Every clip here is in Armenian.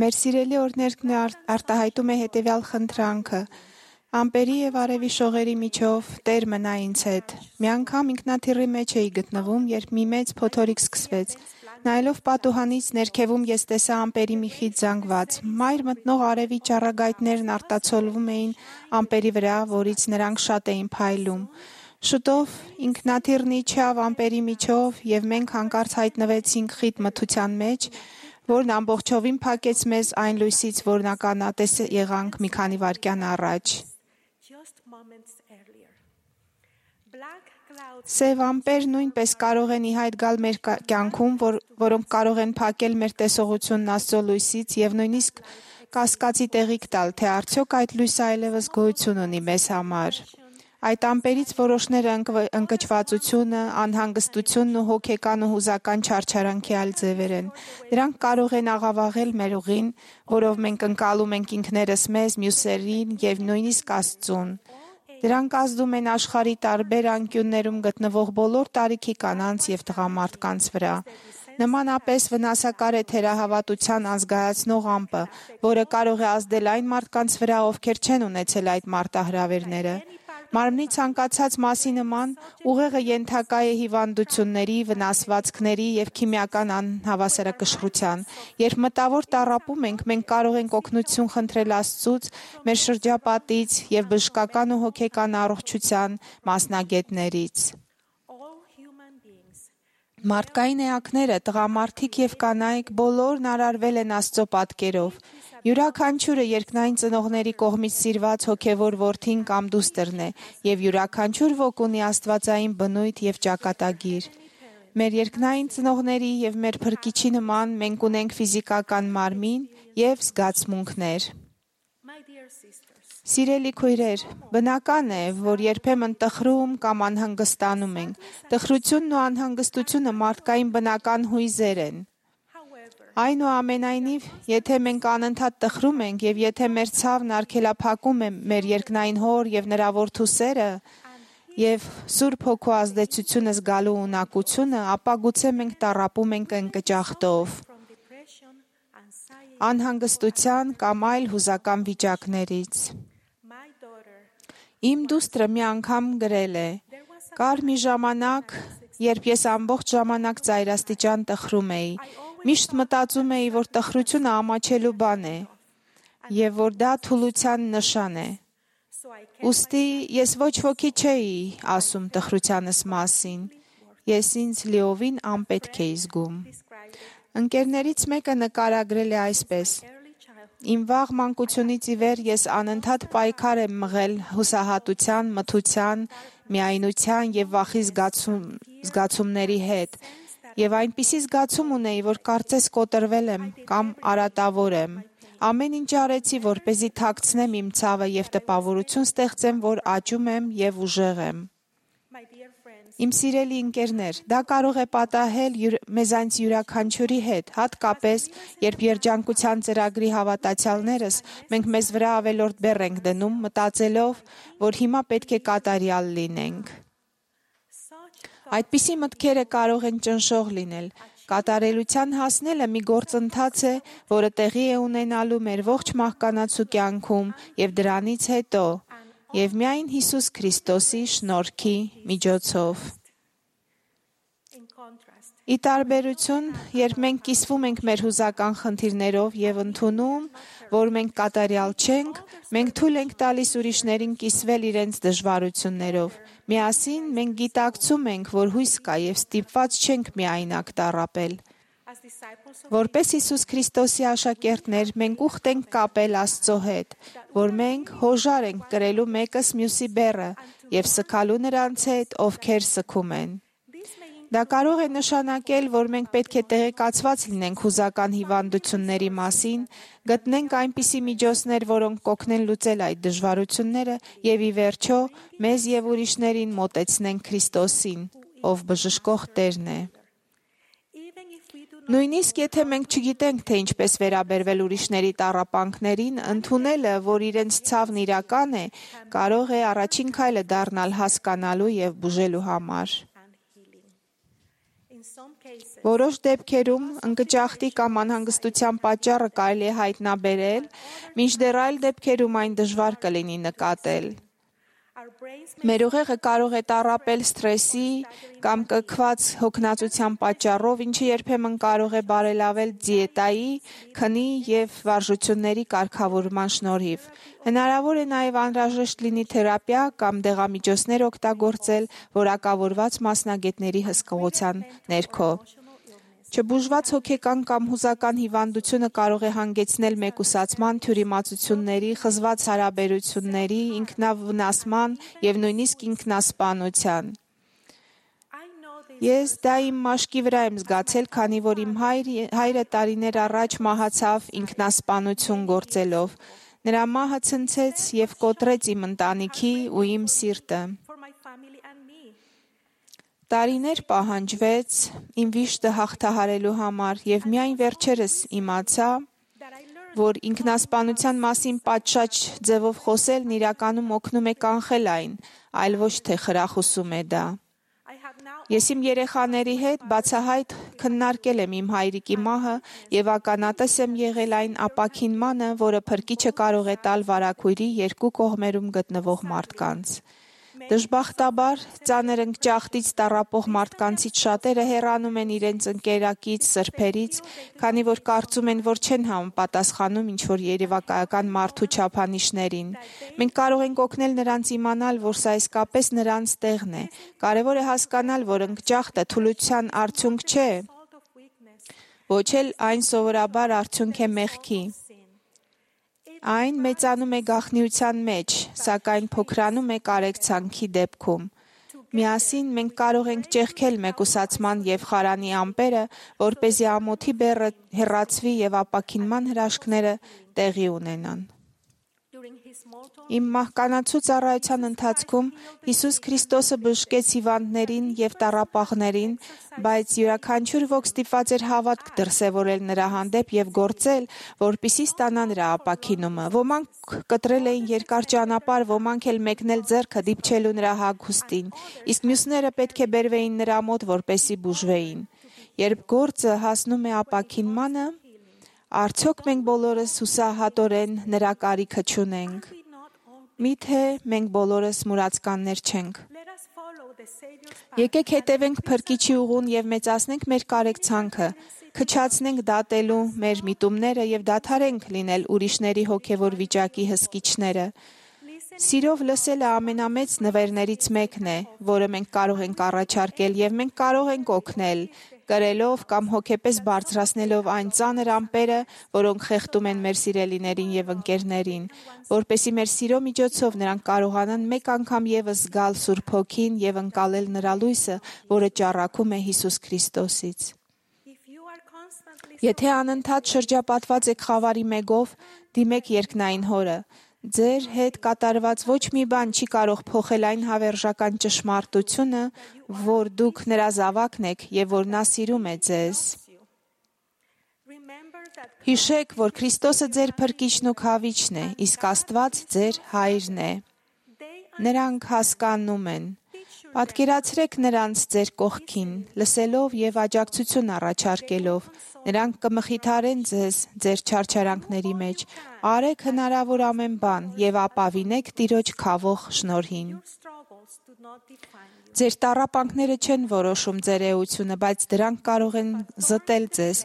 Մեր սիրելի օրհներգն արտահայտում է հետևյալ խնդրանքը. ամպերի եւ արևի շողերի միջով Տեր մնա ինձ հետ։ Մի անգամ ինքնաթիռի մեջ էի գտնվում, երբ մի մեծ փոթորիկ սկսվեց։ Նայելով պատուհանից ներքևում ես տեսա ամպերի մի խիտ զանգված։ Մայր մտնող արևի ճառագայթներն արտացոլվում էին ամպերի վրա, որից նրանք շատ էին փայլում։ Շուտով ինքնաթիռն իջավ ամպերի միջով եւ մենք հանկարծ հայտնվեցինք խիտ մթության մեջ, որն ամբողջովին փակեց մեզ այն լույսից, որն ականատես եղանք մի քանի վայրկյան առաջ։ Սև ամպեր նույնպես կարող են ի հայտ գալ մեր կյանքում, որոնք կարող են փակել մեր տեսողությունն Աստծո լույսից եւ նույնիսկ կասկածի տեղիք տալ, թե արդյոք այդ լույսը այլևս գոյություն ունի մեզ համար։ Այդ ամպերից որոշները ընկճվածությունը, անհանգստությունն ու հոգեկան ու հուզական չարչարանքի այլ ձևեր են։ Դրանք կարող են աղավաղել մեր ուղին, որով մենք ընկալում ենք ինքներս մեզ, մյուսերին եւ նույնիսկ Աստծուն։ Դրանք ազդում են աշխարհի տարբեր անկյուններում գտնվող բոլոր տարիքի կանանց եւ տղամարդկանց վրա։ Նմանապես վնասակար է թերահավատության անզգայացնող ամպը, որը կարող է ազդել այն մարդկանց վրա, ովքեր չեն ունեցել այդ մարտահրավերները։ Մարմնի ցանկացած մասի նման ուղեղը ենթակա է հիվանդությունների, վնասվածքների եւ քիմիական անհավասարակշռության։ Երբ մտավոր տառապում ենք, մենք կարող ենք օգնություն խնդրել Աստծուց, մեր շրջապատից եւ բժշկական ու հոգեկան առողջության մասնագետներից։ Մարդկային էակները, տղամարդիկ եւ կանայք բոլորն արարվել են Աստծո պատկերով։ Յուրաքանչյուրը երկնային ծնողների կողմից սիրված հոգևոր որդին կամ դուստրն է, եւ յուրաքանչյուր ոք ունի աստվածային բնույթ եւ ճակատագիր։ Մեր երկնային ծնողների եւ մեր Փրկիչի նման մենք ունենք ֆիզիկական մարմին եւ զգացմունքներ։ Սիրելի քույրեր, բնական է, որ երբեմն տխրում կամ անհանգստանում ենք։ Տխրությունն ու անհանգստությունը մարդկային բնական հույզեր են։ Այնուամենայնիվ, եթե մենք անընդհատ տխրում ենք եւ եթե մեր ցավն արգելափակում է մեր երկնային Հոր եւ նրա Որդու սերը եւ Սուրբ Հոգու ազդեցությունը զգալու ունակությունը, ապա գուցե մենք տառապում ենք ընկճախտով, անհանգստության կամ այլ հուզական վիճակներից։ Իմ դուստրը մի անգամ գրել է. «Կար մի ժամանակ, երբ ես ամբողջ ժամանակ ծայրաստիճան տխրում էի։ Միշտ մտածում էի, որ տխրությունը ամաչելու բան է եւ որ դա թուլության նշան է։ Ուստի ես ոչ ոքի չէի ասում տխրությանս մասին։ Ես ինձ լիովին անպետք էի զգում»։ Ընկերներից մեկը նկարագրել է այսպես. «Իմ վաղ մանկությունից ի վեր ես անընդհատ պայքար եմ մղել հուսահատության, մթության, միայնության եւ վախի զգացումների հետ։ Եվ այնպիսի զգացում ունեի, որ կարծես կոտրվել եմ կամ արատավոր եմ։ Ամեն ինչ արեցի, որպեսզի թաքցնեմ իմ ցավը եւ տպավորություն ստեղծեմ, որ աճում եմ եւ ուժեղ եմ»։ Իմ սիրելի ընկերներ, դա կարող է պատահել մեզանց յուրաքանչյուրի հետ, հատկապես, երբ երջանկության ծրագրի հավատացյալներս մենք մեզ վրա ավելորդ բեռ ենք դնում, մտածելով, որ հիմա պետք է կատարյալ լինենք։ Այդպիսի մտքերը կարող են ճնշող լինել։ Կատարելության հասնելը մի գործընթաց է, որը տեղի է ունենալու մեր ողջ մահկանացու կյանքում եւ դրանից հետո, եւ միայն Հիսուս Քրիստոսի շնորհքի միջոցով։ Ի տարբերություն, երբ մենք կիսվում ենք մեր հուզական խնդիրներով եւ ընդունում, որ մենք կատարյալ չենք, մենք թույլ ենք տալիս ուրիշներին կիսվել իրենց դժվարություններով։ Միասին մենք գիտակցում ենք, որ հույս կա եւ ստիպված չենք միայնակ տառապել։ Որպես Հիսուս Քրիստոսի աշակերտներ, մենք ուխտ ենք կապել Աստծո հետ, որ մենք հոժար ենք կրելու մեկս մյուսի բեռը եւ սգալու նրանց հետ, ովքեր սգում են։ Դա կարող է նշանակել, որ մենք պետք է տեղեկացված լինենք հուզական հիվանդությունների մասին, գտնենք այնպիսի միջոցներ, որոնք կօգնեն լուծել այդ դժվարությունները եւ ի վերջո մեզ եւ ուրիշներին մոտեցնենք Քրիստոսին, ով բժշկող Տերն է։ Նույնիսկ եթե մենք չգիտենք, թե ինչպես վերաբերվել ուրիշների տառապանքներին, ընդունելը, որ իրենց ցավն իրական է, կարող է առաջին քայլը դառնալ հասկանալու եւ բուժելու համար։ Որոշ դեպքերում ընկճախտի կամ անհանգստության պատճառը կարելի է հայտնաբերել, մինչդեռ այլ դեպքերում այն դժվար կլինի նկատել։ Մեր ուղեղը կարող է տառապել սթրեսի կամ կքված հոգնածության պատճառով, ինչը երբեմն կարող է բարելավել դիետայի, քնի և վարժությունների կարգավորման շնորհիվ։ Հնարավոր է նաև անհրաժեշտ լինի թերապիա կամ դեղամիջոցներ օգտագործել որակավորված մասնագետների հսկողության ներքո։ Չբուժված հոգեկան կամ հուզական հիվանդությունը կարող է հանգեցնել մեկուսացման, թյուրիմացությունների, խզված հարաբերությունների, ինքնավնասման և նույնիսկ ինքնասպանության։ Ես դա իմ մաշկի վրա եմ զգացել, քանի որ իմ հայրը տարիներ առաջ մահացավ ինքնասպանություն գործելով։ Նրա մահը ցնցեց և կոտրեց իմ ընտանիքի ու իմ սիրտը։ Տարիներ պահանջվեց իմ վիշտը հաղթահարելու համար, և միայն վերջերս իմացա, որ ինքնասպանության մասին պատշաճ ձևով խոսելն իրականում օգնում է կանխել այն, այլ ոչ թե խրախուսում է դա։ Ես իմ երեխաների հետ բացահայտ քննարկել եմ իմ հայրիկի մահը և ականատես եմ եղել այն ապաքինմանը, որը Փրկիչը կարող է տալ վարագույրի երկու կողմերում գտնվող մարդկանց։ Դժբախտաբար, ծանր ընկճախտից տառապող մարդկանցից շատերը հեռանում են իրենց ընկերակից, սրբերից, քանի որ կարծում են, որ չեն համապատասխանում ինչ-որ երևակայական մարդու չափանիշներին։ Մենք կարող ենք օգնել նրանց իմանալ, որ սա իսկապես նրանց տեղն է։ Կարևոր է հասկանալ, որ ընկճախտը թուլության արդյունք չէ, ոչ էլ այն սովորաբար արդյունք է մեղքի։ Այն մեծանում է գաղտնիության մեջ, սակայն փոքրանում է կարեկցանքի դեպքում։ Միասին մենք կարող ենք ճեղքել մեկուսացման և խարանի ամպերը, որպեսզի ամոթի բեռը հեռացվի և ապաքինման հրաշքները տեղի ունենան։ Իմ մահկանացու ծառայության ընթացքում Հիսուս Քրիստոսը բժշկեց հիվանդներին և տառապողներին, բայց յուրաքանչյուր ոք ստիպված էր հավատք դրսևորել նրա հանդեպ և գործել, որպեսզի ստանա նրա ապաքինումը։ Ոմանք կտրել էին երկար ճանապարհ, ոմանք էլ մեկնել ձեռքը դիպչելու նրա հագուստին, իսկ մյուսները պետք է բերվեին նրա մոտ, որպեսզի բուժվեին։ Երբ գործը հասնում է ապաքինմանը, արդյոք մենք բոլորս հուսահատորեն նրա կարիքը չունենք։ Միթե մենք բոլորս մուրացկաններ չենք։ Եկեք հետևենք Փրկիչի ուղուն և մեծացնենք մեր կարեկցանքը, քչացնենք դատելու մեր միտումները և դադարենք լինել ուրիշների հոգևոր վիճակի հսկիչները։ Սիրով լսելը ամենամեծ նվերներից մեկն է, որը մենք կարող ենք առաջարկել, և մենք կարող ենք օգնել, կրելով կամ հոգեպես բարձրացնելով այն ծանր ամպերը, որոնք խեղդում են մեր սիրելիներին և ընկերներին, որպեսզի մեր սիրո միջոցով նրանք կարողանան մեկ անգամ ևս զգալ Սուրբ Հոգին և ընկալել նրա լույսը, որը ճառագում է Հիսուս Քրիստոսից։ Եթե անընդհատ շրջապատված եք խավարի մեղով, դիմեք երկնային Հորը։ Ձեր հետ կատարված ոչ մի բան չի կարող փոխել այն հավերժական ճշմարտությունը, որ դուք նրա զավակն եք և որ նա սիրում է ձեզ։ Հիշեք, որ Քրիստոսը ձեր Փրկիչն ու Քավիչն է, իսկ Աստված ձեր Հայրն է։ Նրանք հասկանում են։ Պատկերացրեք նրանց ձեր կողքին, լսելով և աջակցություն առաջարկելով։ Նրանք կմխիթարեն ձեզ ձեր չարչարանքների մեջ։ Արեք հնարավոր ամեն բան և ապավինեք Տիրոջ քավող շնորհին։ Ձեր տառապանքները չեն որոշում ձեր էությունը, բայց դրանք կարող են զտել ձեզ։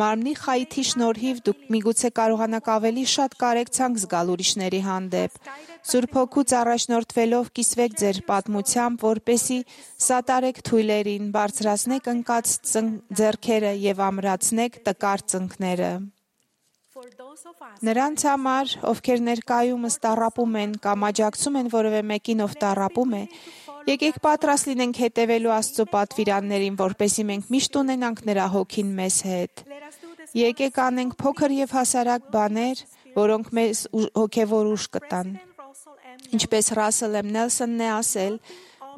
Մարմնի խայթի շնորհիվ դուք միգուցե կարողանաք ավելի շատ կարեկցանք զգալ ուրիշների հանդեպ։ Սուրբ Հոգուց առաջնորդվելով կիսվեք ձեր պատմությամբ, որպեսզի սատարեք թույլերին, բարձրացնեք ընկած ձեռքերը և ամրացնեք տկար ծնկները։ Նրանց համար, ովքեր ներկայումս տառապում են կամ աջակցում են որևէ մեկին, ով տառապում է, եկեք պատրաստ լինենք հետևելու Աստծո պատվիրաններին, որպեսզի մենք միշտ ունենանք նրա Հոգին մեզ հետ։ Եկեք անենք փոքր և հասարակ բաներ, որոնք մեզ հոգևոր ուժ կտան։ Ինչպես Ռասել M. Նելսոնն է ասել,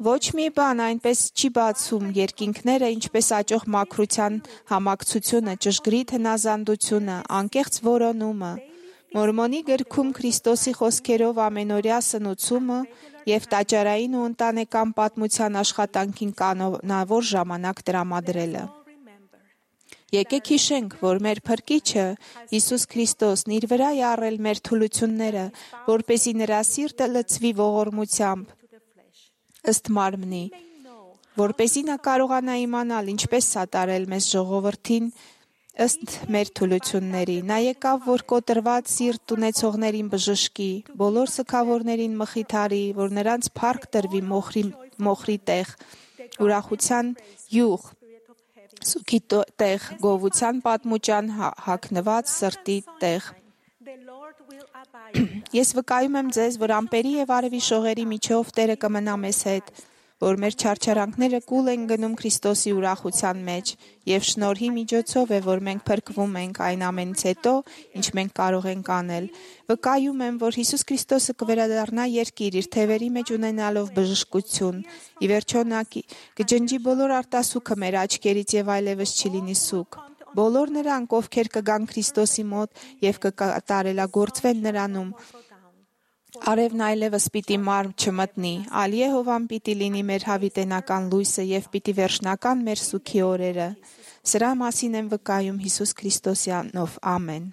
ոչ մի բան այնպես չի բացում երկինքները, ինչպես աճող մաքրության համակցությունը, ճշգրիտ հնազանդությունը, անկեղծ որոնումը։ Մորմոնի գրքում Քրիստոսի խոսքերով ամենօրյա սնուցումը եւ տաճարային ու ընտանեկան պատմության աշխատանքին կանոնավոր ժամանակ տրամադրելը։ Եկեք հիշենք, որ մեր Փրկիչը Հիսուս Քրիստոսն իր վրա է առել մեր թուլությունները, որպեսզի նրա սիրտը լցվի ողորմությամբ ըստ մարմնի, որպեսզի նա կարողանա իմանալ ինչպես սատարել մեզ ժողովրդին ըստ մեր թուլությունների։ Նա եկավ, որ կոտրված սիրտ ունեցողներին բժշկի, բոլոր սգավորներին մխիթարի, որ նրանց փառք տրվի մոխրի տեղ, ուրախության յուղ, սուքի տեղ, գովության պատմուճան հագնված սրտի տեղ։ Ես վկայում եմ ձեզ, որ ամպերի եւ արևի շողերի միջով Տերը կմնա մեզ հետ, որ մեր չարչարանքները կուլ են գնում Քրիստոսի ուրախության մեջ, եւ շնորհի միջոցով է, որ մենք փրկվում ենք այն ամենից հետո, ինչ մենք կարող ենք անել։ Վկայում եմ, որ Հիսուս Քրիստոսը կվերադառնա երկիր իր թևերի մեջ ունենալով բժշկություն։ Ի վերջո նա կջնջի բոլոր արտասուքը մեր աչքերից եւ այլևս չի լինի սուգ։ Բոլոր նրանք, ովքեր կգան Քրիստոսի մոտ եւ կկատարելագործվեն նրանում, արևն այլևս պիտի մարմ չմտնի, այլ Եհովան պիտի լինի մեր հավիտենական լույսը եւ պիտի վերջնական մեր սուքի օրերը։ Սրա մասին եմ վկայում Հիսուս Քրիստոսի անով։ Ամեն։